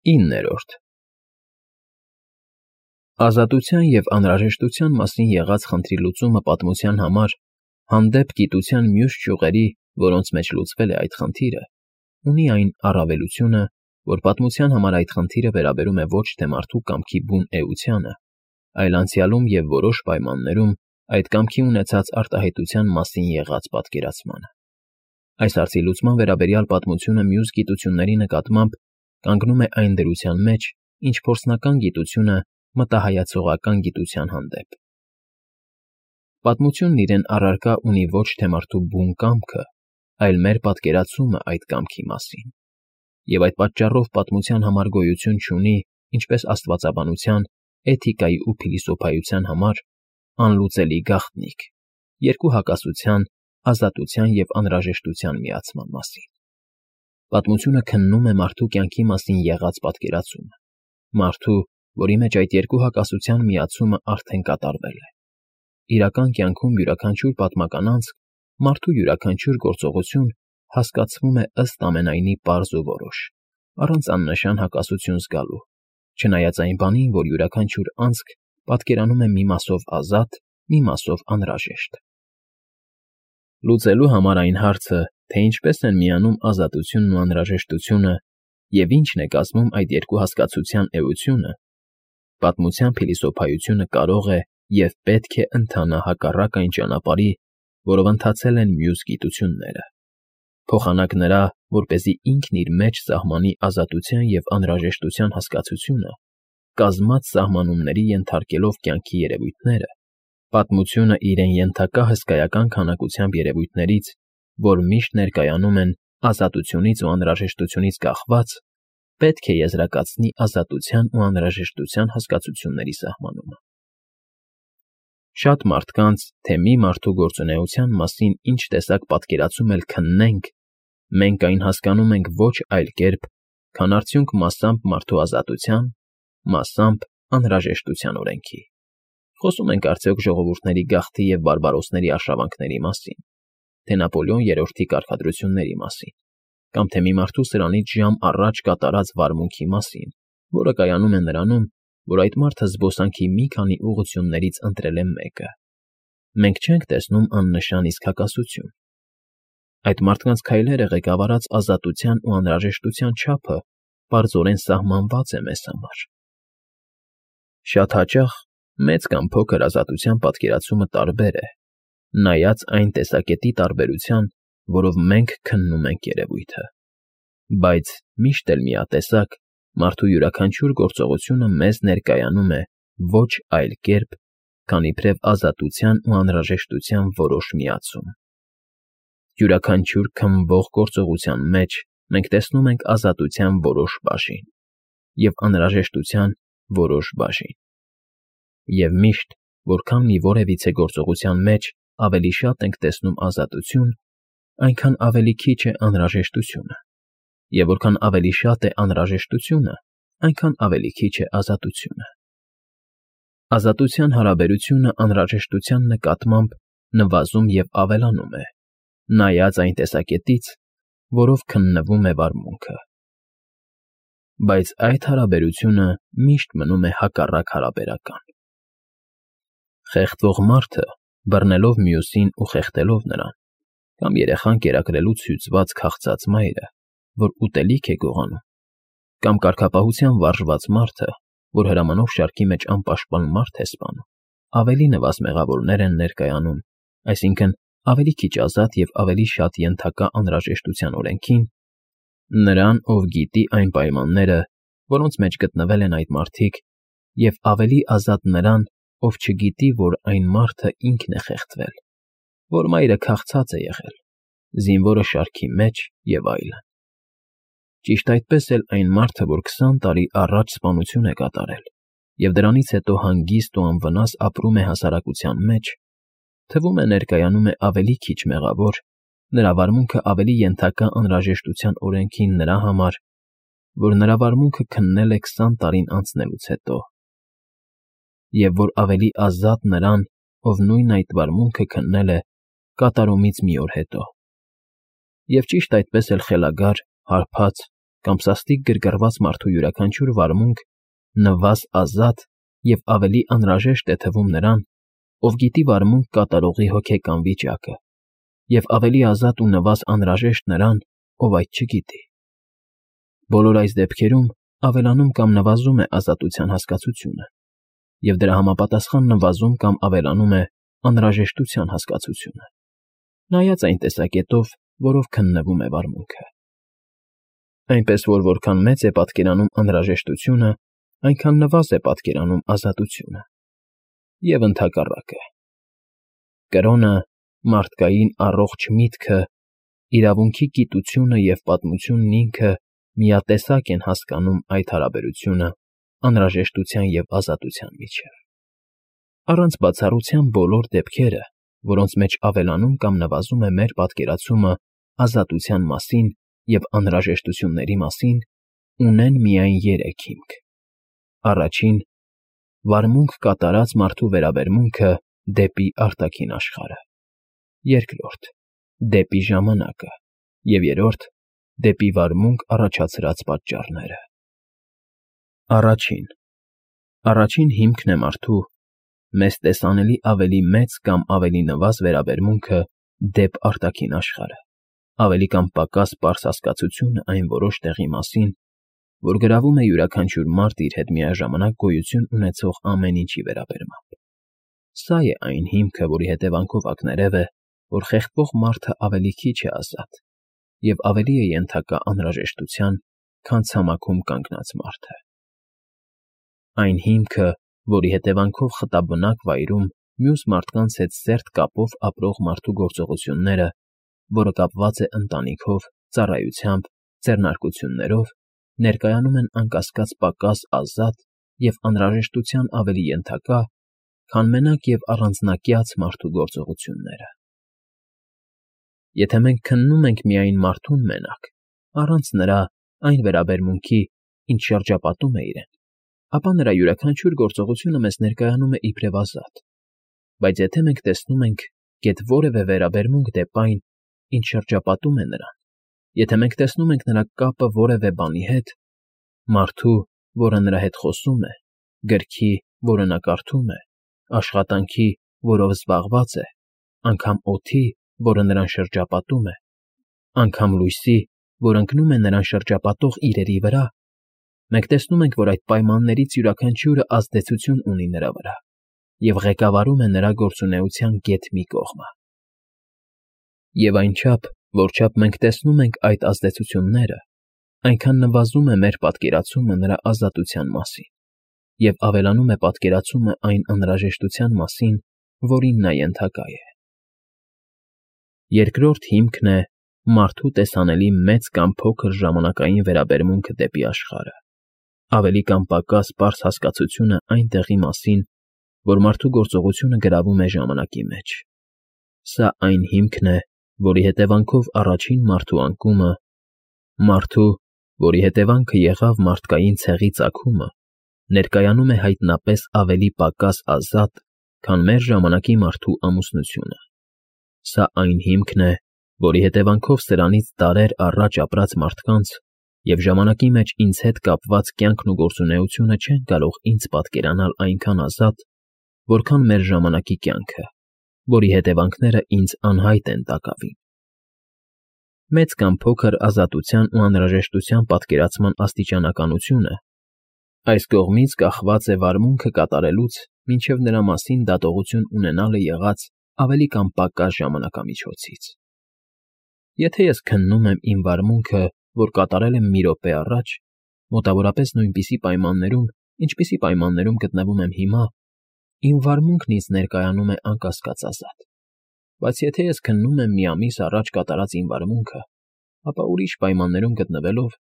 9-րդ Ազատության և անհրաժեշտության մասին եղած խնդրի լուծումը պատմության համար, հանդեպ գիտության մյուս ճյուղերի, որոնց մեջ լուծվել է այդ խնդիրը, ունի այն առավելությունը, որ պատմության համար այդ խնդիրը վերաբերում է ոչ թե մարդու կամքի բուն էությանը, այլ անցյալում և որոշ պայմաններում այդ կամքի ունեցած արտահայտության մասին եղած պատկերացմանը։ Այս հարցի լուծման վերաբերյալ պատմությունը մյուս գիտությունների նկատմամբ կանգնում է այն դրության մեջ, ինչ փորձնական գիտությունը մտահայացողական գիտության հանդեպ։ Պատմությունն իրեն առարկա ունի ոչ թե մարդու բուն կամքը, այլ մեր պատկերացումը այդ կամքի մասին, և այդ պատճառով պատմության համար գոյություն չունի, ինչպես աստվածաբանության, էթիկայի ու փիլիսոփայության համար, անլուծելի գաղտնիք, երկու հակասության, ազատության և անհրաժեշտության միացման մասին։ Պատմությունը քննում է մարդու կյանքի մասին եղած պատկերացումը, մարդու, որի մեջ այդ երկու հակասության միացումը արդեն կատարվել է։ Իրական կյանքում յուրաքանչյուր պատմական անցք, մարդու յուրաքանչյուր գործողություն հասկացվում է ըստ ամենայնի պարզ ու որոշ, առանց աննշան հակասություն զգալու, չնայած այն բանին, որ յուրաքանչյուր անցք պատկերանում է մի մասով ազատ, մի մասով անհրաժեշտ։ Լուծելու համար այն հարցը, թե ինչպես են միանում ազատությունն ու անհրաժեշտությունը և ինչն է կազմում այդ երկու հասկացության էությունը, պատմության փիլիսոփայությունը կարող է և պետք է ընթանա հակառակ այն ճանապարհի, որով ընթացել են մյուս գիտությունները, փոխանակ նրա, որպեսզի ինքն իր մեջ սահմանի ազատության և անհրաժեշտության հասկացությունը, կազմած սահմանումների ենթարկելով կյանքի երևույթները, պատմությունը իրեն ենթակա հսկայական քանակությամբ երևույթներից, որ միշտ ներկայանում են ազատությունից ու անհրաժեշտությունից կախված, պետք է եզրակացնի ազատության ու անհրաժեշտության հասկացությունների սահմանումը։ Շատ մարդկանց, թե մի մարդու գործունեության մասին ինչ տեսակ պատկերացում էլ քննենք, մենք այն հասկանում ենք ոչ այլ կերպ, քան արդյունք մասամբ մարդու ազատության, մասամբ անհրաժեշտության օրենքի։ Խոսում ենք արդյոք ժողովուրդների գաղթի և բարբարոսների արշավանքների մասին, թե Նապոլեոն III-ի կարգադրությունների մասին, կամ թե մի մարդու սրանից ժամ առաջ կատարած վարմունքի մասին, որը կայանում է նրանում, որ այդ մարդը զբոսանքի մի քանի ուղղություններից ընտրել է մեկը։ Մենք չենք տեսնում աննշան իսկ հակասություն։ Այդ մարդկանց քայլերը ղեկավարած ազատության ու անհրաժեշտության չափը պարզորեն սահմանված է մեզ համար։ Շատ հաճախ մեծ կամ փոքր ազատության պատկերացումը տարբեր է, նայած այն տեսակետի տարբերության, որով մենք քննում ենք երևույթը։ Բայց միշտ էլ միատեսակ, մարդու յուրաքանչյուր գործողությունը մեզ ներկայանում է ոչ այլ կերպ, քան իբրև ազատության ու անհրաժեշտության որոշ միացում։ Յուրաքանչյուր քննվող գործողության մեջ մենք տեսնում ենք ազատության որոշ բաժին և անհրաժեշտության որոշ բաժին։ Եվ միշտ, որքան մի որևիցե գործողության մեջ ավելի շատ ենք տեսնում ազատություն, այնքան ավելի քիչ է անհրաժեշտությունը, և որքան ավելի շատ է անհրաժեշտությունը, այնքան ավելի քիչ է ազատությունը։ Ազատության հարաբերությունը անհրաժեշտության նկատմամբ նվազում և ավելանում է, նայած այն տեսակետից, որով քննվում է վարմունքը։ Բայց այդ հարաբերությունը միշտ մնում է հակառակ հարաբերական։ Խեղդվող մարդը, բռնելով մյուսին ու խեղդելով նրան, կամ երեխան կերակրելուց հյուծված քաղցած մայրը, որ ուտելիք է գողանում, կամ կարգապահության վարժված մարդը, որ հրամանով շարքի մեջ անպաշտպան մարդ է սպանում, ավելի նվազ մեղավորներ են ներկայանում, այսինքն ավելի քիչ ազատ և ավելի շատ ենթակա անհրաժեշտության օրենքին, նրան, ով գիտի այն պայմանները, որոնց մեջ գտնվել են այդ մարդիկ, և ավելի ազատ նրան, ով չգիտի, որ այն մարդը ինքն է խեղդվել, որ մայրը քաղցած է եղել, զինվորը շարքի մեջ և այլն։ Ճիշտ այդպես էլ այն մարդը, որ 20 տարի առաջ սպանություն է կատարել և դրանից հետո հանգիստ ու անվնաս ապրում է հասարակության մեջ, թվում է ներկայանում է ավելի քիչ մեղավոր, նրա վարմունքը ավելի ենթակա անհրաժեշտության օրենքին նրա համար, որ նրա վարմունքը քննել է 20 տարին անցնելուց հետո, և որ ավելի ազատ նրան, ով նույն այդ վարմունքը քննել է կատարումից մի օր հետո։ Եվ ճիշտ այդպես էլ խելագար, հարբած կամ սաստիկ գրգռված մարդու յուրաքանչյուր վարմունք նվազ ազատ և ավելի անհրաժեշտ է թվում նրան, ով գիտի վարմունք կատարողի հոգեկան վիճակը, և ավելի ազատ ու նվազ անհրաժեշտ նրան, ով այդ չգիտի։ Բոլոր այս դեպքերում ավելանում կամ նվազում է ազատության հասկացությունը, և դրա համապատասխան նվազում կամ ավելանում է անհրաժեշտության հասկացությունը, նայած այն տեսակետով, որով քննվում է վարմունքը։ Այնպես որ որքան մեծ է պատկերանում անհրաժեշտությունը, այնքան նվազ է պատկերանում ազատությունը, և ընդհակառակը։ Կրոնը, մարդկային առողջ միտքը, իրավունքի գիտությունը և պատմությունն ինքը միատեսակ են հասկանում այդ հարաբերությունը անհրաժեշտության և ազատության միջև։ Առանց բացառության բոլոր դեպքերը, որոնց մեջ ավելանում կամ նվազում է մեր պատկերացումը ազատության մասին և անհրաժեշտությունների մասին, ունեն միայն երեք հիմք. Առաջին՝ վարմունք կատարած մարդու վերաբերմունքը դեպի արտաքին աշխարհը, երկրորդ՝ դեպի ժամանակը, և երրորդ՝ դեպի վարմունք առաջացրած պատճառները։ Առաջին հիմքն է մարդու մեզ տեսանելի ավելի մեծ կամ ավելի նվազ վերաբերմունքը դեպ արտաքին աշխարհը, ավելի կամ պակաս պարզ հասկացությունը այն որոշ տեղի մասին, որ գրավում է յուրաքանչյուր մարդ իր հետ միաժամանակ գոյություն ունեցող ամեն ինչի վերաբերմամբ։ Սա է այն հիմքը, որի հետևանքով ակներև է, որ խեղդվող մարդը ավելի քիչ է ազատ և ավելի է ենթակա անհրաժեշտության, քան ցամաքում կանգնած մարդը։ Այն հիմքը, որի հետևանքով խտաբնակ վայրում մյուս մարդկանց հետ սերտ կապով ապրող մարդու գործողությունները, որը կապված է ընտանիքով, ծառայությամբ, ձեռնարկություններով, ներկայանում են անկասկած պակաս ազատ և անհրաժեշտության ավելի ենթակա, քան մենակ և առանձնակյաց մարդու գործողությունները։ Եթե մենք քննում ենք միայն մարդուն մենակ, առանց նրա այն վերաբերմունքի, ինչ շրջապատում է իրեն, ապա նրա յուրաքանչյուր գործողությունը մեզ ներկայանում է իբրև ազատ, բայց եթե մենք տեսնում ենք գեթ որևէ վերաբերմունք դեպ այն, ինչ շրջապատում է նրան, եթե մենք տեսնում ենք նրա կապը որևէ բանի հետ, մարդու, որը նրա հետ խոսում է, գրքի, որը նա կարդում է, աշխատանքի, որով զբաղված է, անգամ օդի, որը նրան շրջապատում է, անգամ լույսի, որ ընկնում է նրան շրջապատող իրերի վրա, մենք տեսնում ենք, որ այդ պայմաններից յուրաքանչյուրը ազդեցություն ունի նրա վրա և ղեկավարում է նրա գործունեության գեթ մի կողմը։ Եվ այնչափ, որչափ մենք տեսնում ենք այդ ազդեցությունները, այնքան նվազում է մեր պատկերացումը նրա ազատության մասին և ավելանում է պատկերացումը այն անհրաժեշտության մասին, որին նա ենթակա է։ Երկրորդ հիմքն է մարդու տեսանելի մեծ կամ փոքր ժամանակային վերաբերմունքը դեպի աշխարհը, ավելի կամ պակաս պարզ հասկացությունը այն տեղի մասին, որ մարդու գործողությունը գրավում է ժամանակի մեջ։ Սա այն հիմքն է, որի հետևանքով առաջին մարդու անկումը, մարդու, որի հետևանքը եղավ մարդկային ցեղի ծագումը, ներկայանում է հայտնապես ավելի պակաս ազատ, քան մեր ժամանակի մարդու ամուսնությունը։ Սա այն հիմքն է, որի հետևանքով սրանից դարեր առաջ ապրած մարդկանց և ժամանակի մեջ ինձ հետ կապված կյանքն ու գործունեությունը չեն կարող ինձ պատկերանալ այնքան ազատ, որքան մեր ժամանակի կյանքը, որի հետևանքները ինձ անհայտ են տակավին։ Մեծ կամ փոքր ազատության ու անհրաժեշտության պատկերացման աստիճանականությունը այս կողմից կախված է վարմունքը կատարելուց մինչև նրա մասին դատողություն ունենալը եղած ավելի կամ պակաս ժամանակամիջոցից։ Եթե ես քննում եմ իմ վարմունքը, որ կատարել եմ մի րոպե առաջ, մոտավորապես նույնպիսի պայմաններում, ինչպիսի պայմաններում գտնվում եմ հիմա, իմ վարմունքն ինձ ներկայանում է անկասկած ազատ։ Բայց եթե ես քննում եմ մի ամիս առաջ կատարած իմ վարմունքը, ապա ուրիշ պայմաններում գտնվելով,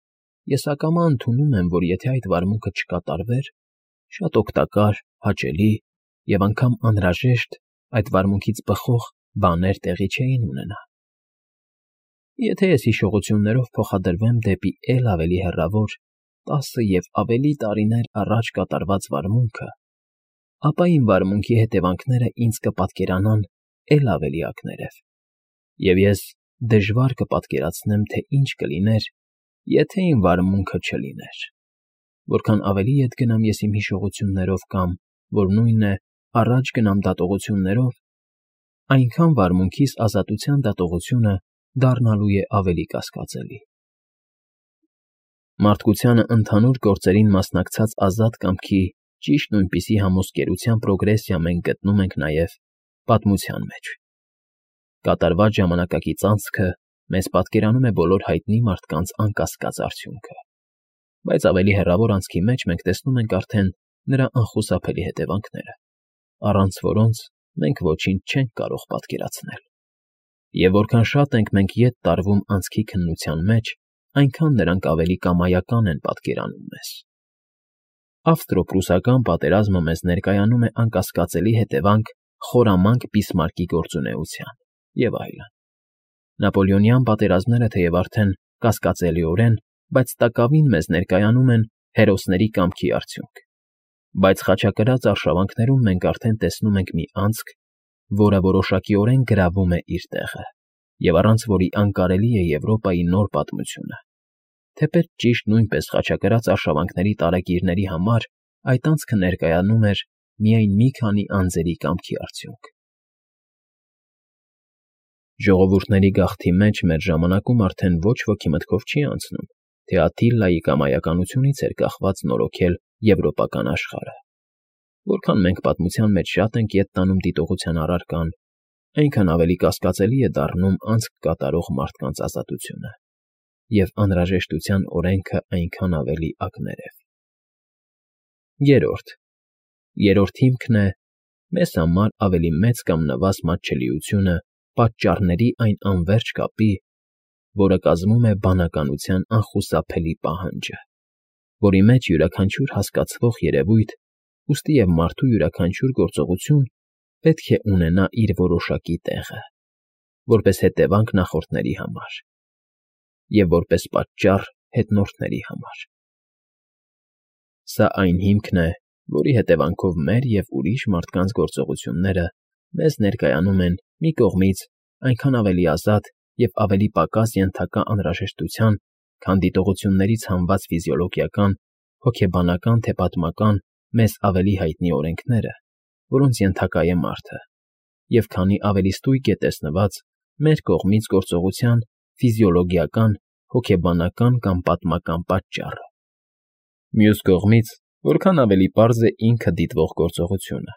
ես ակամա ընդունում եմ, որ եթե այդ վարմունքը չկատարվեր, շատ օգտակար, հաճելի և անգամ անհրաժեշտ այդ վարմունքից բխող բաներ տեղի չէին ունենա։ Եթե ես հիշողություններով փոխադրվեմ դեպի էլ ավելի հեռավոր 10 և ավելի տարիներ առաջ կատարված վարմունքը, ապա իմ վարմունքի հետևանքները ինձ կպատկերանան էլ ավելի ակներև, և ես դժվար կպատկերացնեմ, թե ինչ կլիներ, եթե իմ վարմունքը չլիներ, որքան ավելի ետ գնամ ես իմ հիշողություններով կամ, որ նույնն է, առաջ գնամ դատողություններով, այնքան վարմունքիս ազատության դատողությունը դառնալու է ավելի կասկածելի։ Մարդկությանը ընդհանուր գործերին մասնակցած ազատ կամքի ճիշտ նույնպիսի համոսկերության պրոգրեսիա մենք գտնում ենք նաև պատմության մեջ։ Կատարված ժամանակակից անցքը մեզ պատկերանում է բոլոր հայտնի մարդկանց անկասկած արդյունքը, բայց ավելի հեռավոր անցքի մեջ մենք տեսնում ենք արդեն նրա անխուսափելի հետևանքները, առանց որոնց մենք ոչինչ չենք կարող պատկերացնել։ Եվ որքան շատ ենք մենք ետ տարվում անցքի քննության մեջ, այնքան նրանք ավելի կամայական են պատկերանում մեզ։ Ավստրո-պրուսական պատերազմը մեզ ներկայանում է անկասկածելի հետևանք խորամանկ Բիսմարկի գործունեության և այլն։ Նապոլեոնյան պատերազմները թեև արդեն կասկածելիորեն, բայց տակավին մեզ ներկայանում են հերոսների կամքի արդյունք։ Բայց խաչակրաց արշավանքներում մենք արդեն տեսնում ենք մի անցք, որը որոշակիորեն գրավում է իր տեղը, և առանց որի անկարելի է Եվրոպայի նոր պատմությունը։ Թեպետ ճիշտ նույնպես խաչակրաց արշավանքների տարեգիրների համար այդ անցքը ներկայանում էր միայն մի քանի անձերի կամքի արդյունք։ Ժողովուրդների գաղթի մեջ մեր ժամանակում արդեն ոչ ոքի մտքով չի անցնում, թե Աթիլայի կամայականությունից էր կախված նորոգել եվրոպական աշխարհը։ Որքան մենք պատմության մեջ շատ ենք ետ տանում դիտողության առարկան, այնքան ավելի կասկածելի է դառնում անցք կատարող մարդկանց ազատությունը, և անհրաժեշտության օրենքը այնքան ավելի ակներև։ Երրորդ հիմքն է մեզ համար ավելի մեծ կամ նվազ մատչելիությունը պատճառների այն անվերջ կապի, որը կազմում է բանականության անխուսափելի պահանջը, որի մեջ յուրաքանչյուր հասկացվող երևույթ, ուստի և մարդու յուրաքանչյուր գործողություն պետք է ունենա իր որոշակի տեղը, որպես հետևանք նախորդների համար և որպես պատճառ հետնորդների համար։ Սա այն հիմքն է, որի հետևանքով մեր և ուրիշ մարդկանց գործողությունները մեզ ներկայանում են մի կողմից այնքան ավելի ազատ և ավելի պակաս ենթակա անհրաժեշտության, քան դիտողություններից հանված ֆիզիոլոգիական, հոգեբանական թե պատմական մեզ ավելի հայտնի օրենքները, որոնց ենթակա է մարդը, և քանի ավելի ստույգ է տեսնված մեր կողմից գործողության ֆիզիոլոգիական, հոգեբանական կամ պատմական պատճառը։ Մյուս կողմից, որքան ավելի պարզ է ինքը դիտվող գործողությունը,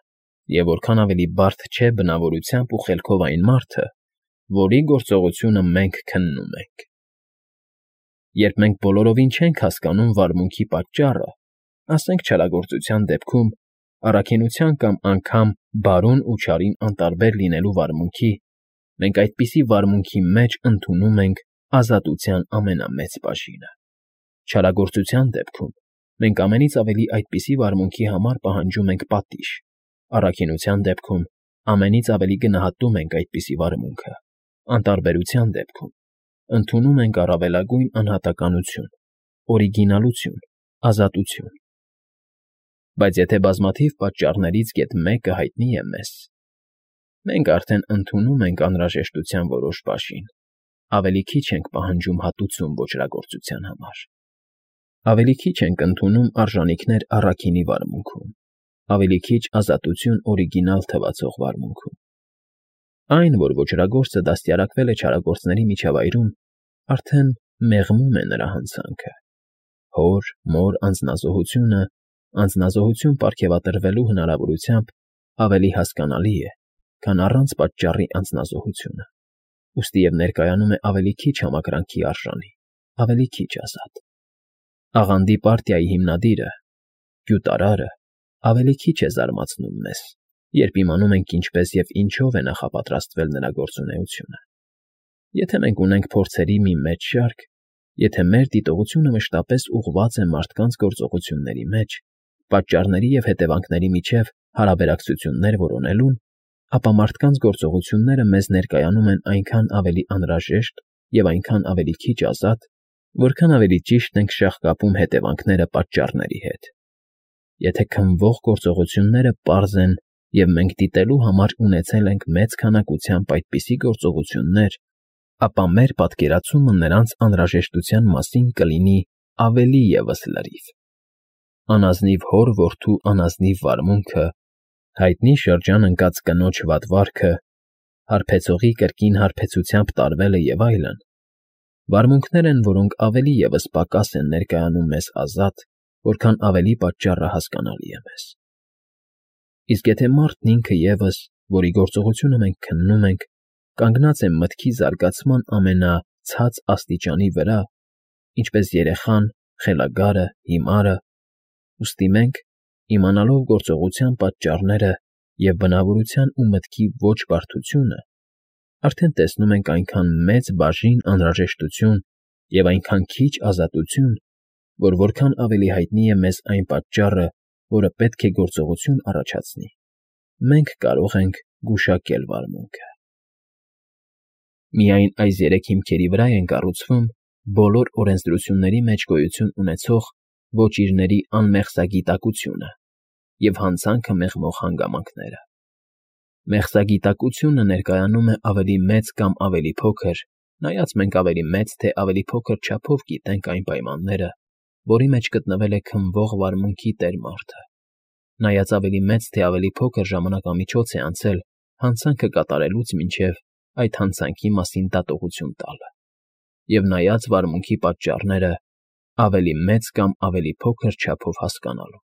և որքան ավելի բարդ չէ բնավորությամբ ու խելքով այն մարդը, որի գործողությունը մենք քննում ենք։ Երբ մենք բոլորովին չենք հասկանում վարմունքի պատճառը, ասենք չարագործության դեպքում առաքինության կամ անգամ բարուն ու չարին անտարբեր լինելու վարմունքի, մենք այդպիսի վարմունքի մեջ ընդունում ենք ազատության ամենամեծ բաժինը։ Չարագործության դեպքում մենք ամենից ավելի այդպիսի վարմունքի համար պահանջում ենք պատիժ, առաքինության դեպքում ամենից ավելի գնահատում ենք այդպիսի վարմունքը, անտարբերության դեպքում ընդունում ենք առավելագույն անհատականություն, օրիգինալություն, ազատություն։ Բայց եթե բազմաթիվ պատճառներից գեթ մեկը հայտնի է մեզ, մենք արդեն ընդունում ենք անհրաժեշտության որոշ բաժին, ավելի քիչ ենք պահանջում հատուցում ոճրագործության համար, ավելի քիչ ենք ընդունում արժանիքներ առաքինի վարմունքում, ավելի քիչ ազատություն օրիգինալ թվացող վարմունքում։ Այն, որ ոճրագործը դաստիարակվել է չարագործների միջավայրում, արդեն մեղմում է նրա հանցանքը։ Հոր, մոր անձնազոհություն պարգևատրվելու հնարավորությամբ ավելի հասկանալի է, քան առանց պատճառի անձնազոհությունը, ուստի և ներկայանում է ավելի քիչ համակրանքի արժանի, ավելի քիչ ազատ։ Աղանդի պարտիայի հիմնադիրը, գյուտարարը, ավելի քիչ է զարմացնում մեզ, երբ իմանում ենք ինչպես և ինչով է նախապատրաստվել նրա գործունեությունը։ Եթե մենք ունենք փորձերի մի մեծ շարք, եթե մեր դիտողությունը մշտապես ուղղված է մարդկանց գործողությունների մեջ, պատճառների և հետևանքների միջև հարաբերակցություններ որոնելուն, ապա մարդկանց գործողությունները մեզ ներկայանում են այնքան ավելի անհրաժեշտ և այնքան ավելի քիչ ազատ, որքան ավելի ճիշտ ենք շաղկապում հետևանքները պատճառների հետ։ Եթե քննվող գործողությունները պարզ են և մենք դիտելու համար ունեցել ենք մեծ քանակությամբ այդպիսի գործողություններ, ապա մեր պատկերացումը նրանց անհրաժեշտության մասին կլինի ավելի ևս լրիվ։ Անազնիվ հոր-որդու անազնիվ վարմունքը, հայտնի շրջան ընկած կնոջ վատվարքը, հարբեցողի կրկին հարբեցությամբ տարվելը և այլն, վարմունքներ են, որոնք ավելի ևս պակաս են ներկայանում մեզ ազատ, որքան ավելի պատճառը հասկանալի է մեզ։ Իսկ եթե մարդն ինքը ևս, որի գործողությունը մենք քննում ենք, կանգնած է մտքի զարգացման ամենացած աստիճանի վրա, ինչպես երեխան, խելագարը, հիմարը, ուստի մենք, իմանալով գործողության պատճառները և բնավորության ու մտքի ոչ բարդությունը, արդեն տեսնում ենք այնքան մեծ բաժին անհրաժեշտություն և այնքան քիչ ազատություն, որ որքան ավելի հայտնի է մեզ այն պատճառը, որը պետք է գործողություն առաջացնի, մենք կարող ենք գուշակել վարմունքը։ Միայն այս երեք հիմքերի վրա են կառուցվում բոլոր օրենսդրությունների մեջ գոյություն ունեցող ոճիրների անմեղսագիտակությունը և հանցանքը մեղմող հանգամանքները։ Մեղսագիտակությունը ներկայանում է ավելի մեծ կամ ավելի փոքր, նայած մենք ավելի մեծ թե ավելի փոքր չափով գիտենք այն պայմանները, որի մեջ գտնվել է քննվող վարմունքի տեր մարդը, նայած ավելի մեծ թե ավելի փոքր ժամանակամիջոց է անցել հանցանքը կատարելուց մինչև այդ հանցանքի մասին դատողություն տալը, և նայած վարմունքի պատճառները ավելի մեծ կամ ավելի փոքր չափով հասկանալու։